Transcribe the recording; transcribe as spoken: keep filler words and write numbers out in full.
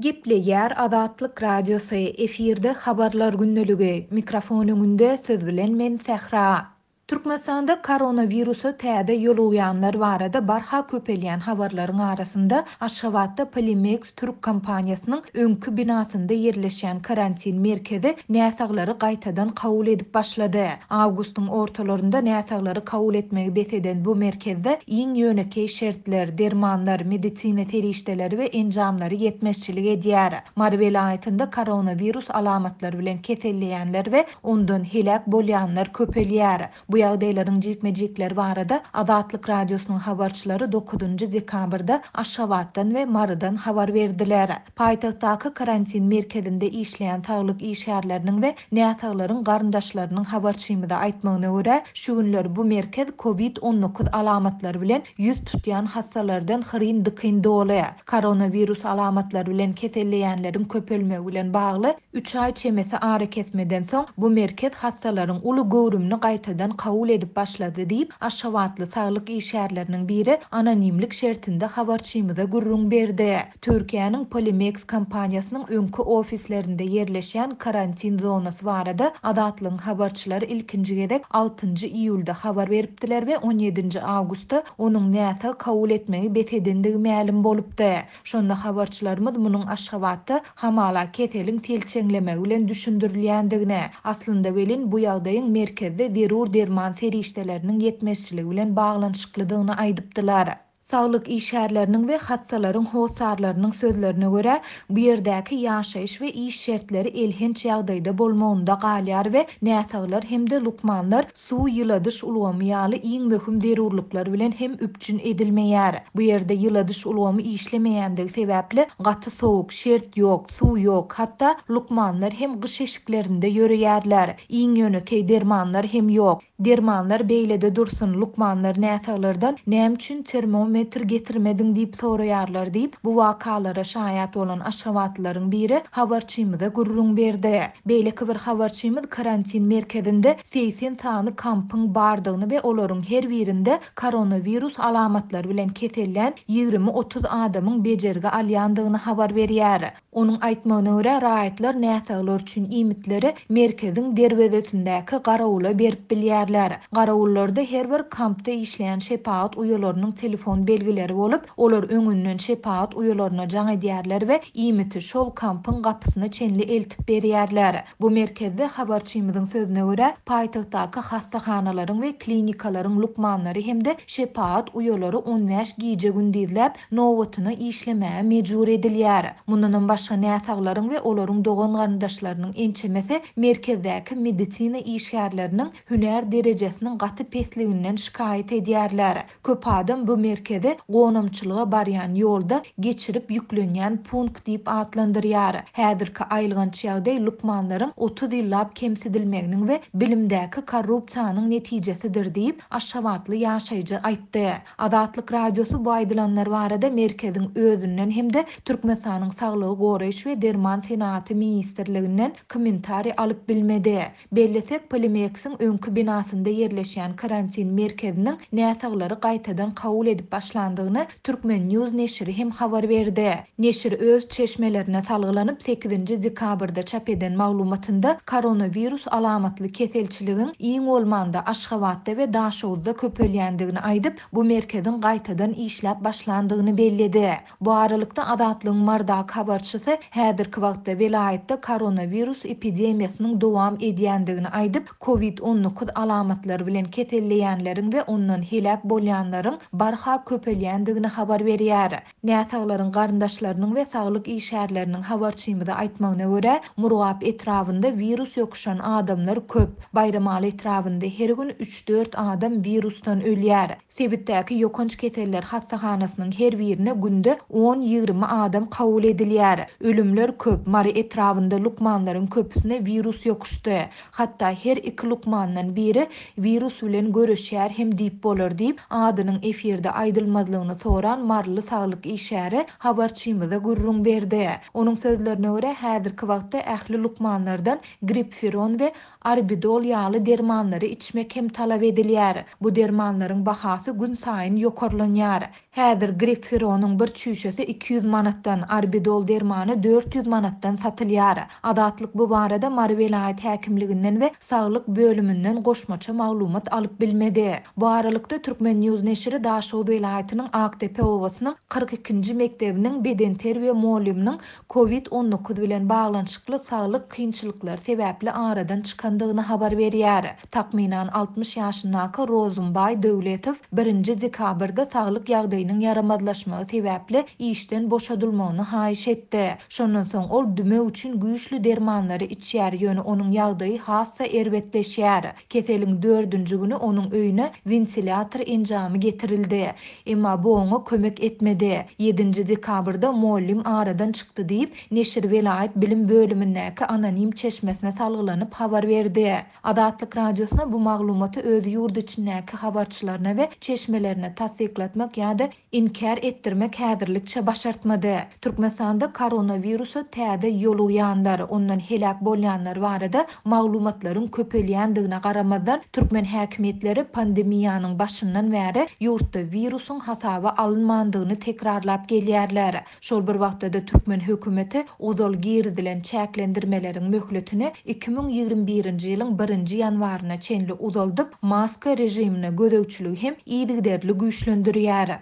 Gepleýär Azatlyk Radiosy, efirde Habarlar gündeligi, mikrofon öňünde siz bilen men Sähra. Türkmenistanda koronawirusa täze ýolugýanlar barada barha köpelýän habarlaryň arasynda Aşgabatda Polimeks türk kompaniýasynyň öňki binasynda ýerleşýän karantin merkezi näsaglary gaýtadan kabul edip başlady. Awgustyň ortalarynda näsaglary kabul etmegi bes eden bu merkezde iň ýönekeý şertler, dermanlar, medisina serişdeleri we enjamlary ýetmezçilik edýär. Mary welaýatynda koronawirus alamatlary bilen keselleýänler we ondan heläk bolýanlar köpelýär. Bu ýagdaýlaryň jikme-jikleri barada Azatlyk Radiosynyň habarçylary dokuzynjy dekabrda Aşgabatdan we Marydan habar berdiler. Paýtagtdaky karantin merkezinde işleýän saglyk işgärleriniň we näsaglaryň garyndaşlarynyň habarçymyza aýtmagyna görä, şu günler bu merkez COVID on dokuz alamatlary bilen ýüz tutýan hassalardan hyryn-dykyn doly. Koronawirus alamatlary bilen keselleýänleriň köpelmegi bilen bagly üç aý çemesi ara kesmeden soň bu merkez hassalaryň uly göwrümini gaýtadan kabul edip başlady diýip, Aşgabatly saglyk işgärleriniň biri anonimlik şertinde habarçymyza gürrüň berdi. Türkiýäniň Polimeks kompaniýasynyň öňki ofislerinde ýerleşýän karantin zonasy barada Azatlygyň habarçylary ilkinji gezek altynjy iýulda habar beripdiler we on ýedinji awgustda onuň näsag kabul etmegi bes edendigi mälim bolupdy. Şonda habarçylarymyz munuň Aşgabatda hamala keseliň selçeňlemegi bilen düşündirilýändigine, aslynda welin bu ýagdaýyň merkezde zerur derman serişdeleriniň ýetmezçiligi bilen baglanyşyklydygyny aýdypdylar. Saglyk işgärleriniň we hassalaryň hossarlarynyň sözlerine görä, bu ýerdäki ýaşaýyş we iş şertleri elhenç ýagdaýda bolmagynda galýar we näsaglar hem-de lukmanlar suw ýyladyş ulgamy ýaly iň möhüm zerurlyklar bilen hem üpjün edilmeýär. Bu ýerde ýyladyş ulgamy işlemeýändigi sebäpli gaty sowuk, şert ýok, suw ýok, hatda lukmanlar hem gyş eşiklerinde ýörýärler. Iň ýönekeý dermanlar hem ýok. Dermanlar beýlede dursun, lukmanlar näsaglardan näme üçin termometr getirmediň diýip soraýarlar diýip, bu wakalara şaýat bolan aşgabatlylaryň biri habarçymyza gürrüň berdi. Beýleki bir habarçymyz karantin merkezinde segsen sany kampyň bardygyny we olaryň her birinde koronawirus alamatlary bilen kesellän ýigrimi otuz adamyň bejergi alýandygyny habar berýär. Onuň aýtmagyna görä, raýatlar näsaglar üçin iýmitleri merkeziň derwezesindäki garawula berip bilýärler. Garawullarda her bir kampda işleýän şepagat uýalarynyň telefon belgileri bolup, olar öňünden şepagat uýalaryna jaň edýärler we iýmiti şol kampyň gapysyna çenli eltip berýärler. Bu merkezde habarçymyzyň sözüne görä, paýtagtdaky hassahanalaryň we klinikalaryň lukmanlary hem-de şepagat uýalary on bäş gije gündizläp nobatyna işlemäge mejbur edilýär. Mundanam başga näsaglaryň we olaryň dogan garyndaşlarynyň ençemesi merkezdäki medisina işgärleriniň hünär derejesiniň gaty pesliginden şikaýat edýärler. Köp adam bu merkezi gonamçylyga barýan ýolda geçirip ýüklenýän punkt diýip atlandyrýar. Häzirki aýylganç ýagdaý lukmanlaryň otuz ýyllap kemsidilmeginiň we bilimdäki korrupsiýanyň netijesidir diýip Aşgabatly ýaşaýjy aýtdy. Azatlyk Radiosy bu aýdylanlar barada merkeziň özünden hem-de Türkmenistanyň Saglygy goraýyş we Derman senagaty ministrliginden kommentariý alyp bilmedi. Bellesek, Polimeksiň öňki binasynda ýerleşýän karantin merkeziniň näsaglary gaýtadan kabul edip başlandygyny Türkmen News neşiri hem habar berdi. Neşir öz çeşmelerine salgylanyp sekizinji dekabrda çap eden maglumatynda koronawirus alamatly keselçiligiň iň bolmanda Aşgabatda we Daşoguzda köpelýändigini aýdyp, bu merkeziň gaýtadan işläp başlandygyny belledi. Bu aralykda Azatlygyň Mardaky habarçysy häzirki wagtda welaýatda koronawirus epidemiýasynyň dowam edýändigini aýdyp, COVID on dokuz alamatlary bilen keselleýänleriň we ondan heläk bolýanlaryň barha köpelýändigini habar berýär. Näsaglaryň garyndaşlarynyň we saglyk işgärleriniň habarçymyza aýtmagyna görä, Murgap etrabynda wirus ýokuşan adamlar köp. Baýramaly etrabynda her gün üç-dört adam wirusdan ölýär. Sebitdäki ýokanç keseller hassahanasynyň her birine günde on-ýigrimi adam kabul edilýär. Ölümler köp. Mary etrabynda lukmanlaryň köpüsine wirus ýokuşdy. Hatda her iki lukmandan biri günde wirus bilen göreşýär hem diýip bolar diýip, adynyň efirde aýdylmazlygyny soran maryly saglyk işgäri habarçymyza gürrüň berdi. Onuň sözlerine görä, häzirki wagtda ähli lukmanlardan gripfiron we arbidol ýaly dermanlary içmek hem talap edilýär. Bu dermanlaryň bahasy günsaýyn ýokarlanýar. Häzir gripfironyň bir çüýşesi iki ýüz manatdan, arbidol dermany dört ýüz manatdan satylýar. Azatlyk bu barada Mary welaýat häkimliginden we saglyk bölüminden goşmaça maglumat alyp bilmedi. Bu aralykda Turkmen News neşiri Daşoguz welaýatynyň Akdepe obasynyň kyrk ikinji mekdebiniň bedenterbiýe mugallymynyň kovid on dokuz bilen baglanyşykly saglyk kynçylyklary sebäpli aradan çykandygyny habar berýär. Takmynan altmyş ýaşyndaky Rozumbaý Döwletow birinji dekabrda saglyk ýagdaýynyň ýaramazlaşmagy sebäpli işden boşadylmagyny haýyş etdi. Şondan soň ol dümew üçin güýçli dermanlary içýär, ýöne onuň ýagdaýy hassa erbetleşýär. Keseliň dördünji güni onuň öýüne wentilýator enjamy getirildi. Emma bu oňa kömek etmedi. Ýedinji dekabrda mugallym aradan çykdy diýip, neşir welaýat bilim bölümindäki anonim çeşmesine salgylanyp habar berdi. Azatlyk radiosyna bu maglumaty öz ýurt içindäki habarçylaryna we çeşmelerine tassyklatmak ýa-da inkär etdirmek häzirlikçe başartmady. Türkmenistanda koronawirusa täze ýolugýanlar, ondan heläk bolýanlar barada maglumatlaryň köpelýändigine garamazdan, türkmen häkimiýetleri pandemiýanyň başyndan bäri ýurtda wirusyň hasaba alynmandygyny tekrarlap gelýärler. Şol bir wagtda-da türkmen hökümeti ozal girizilen çäklendirmeleriň möhletini iki müň ýigrimi birinji ýylyň birinji ýanwaryna çenli uzaldyp, maska režimine gözegçiligi hem yzygiderli güýçlendirýär.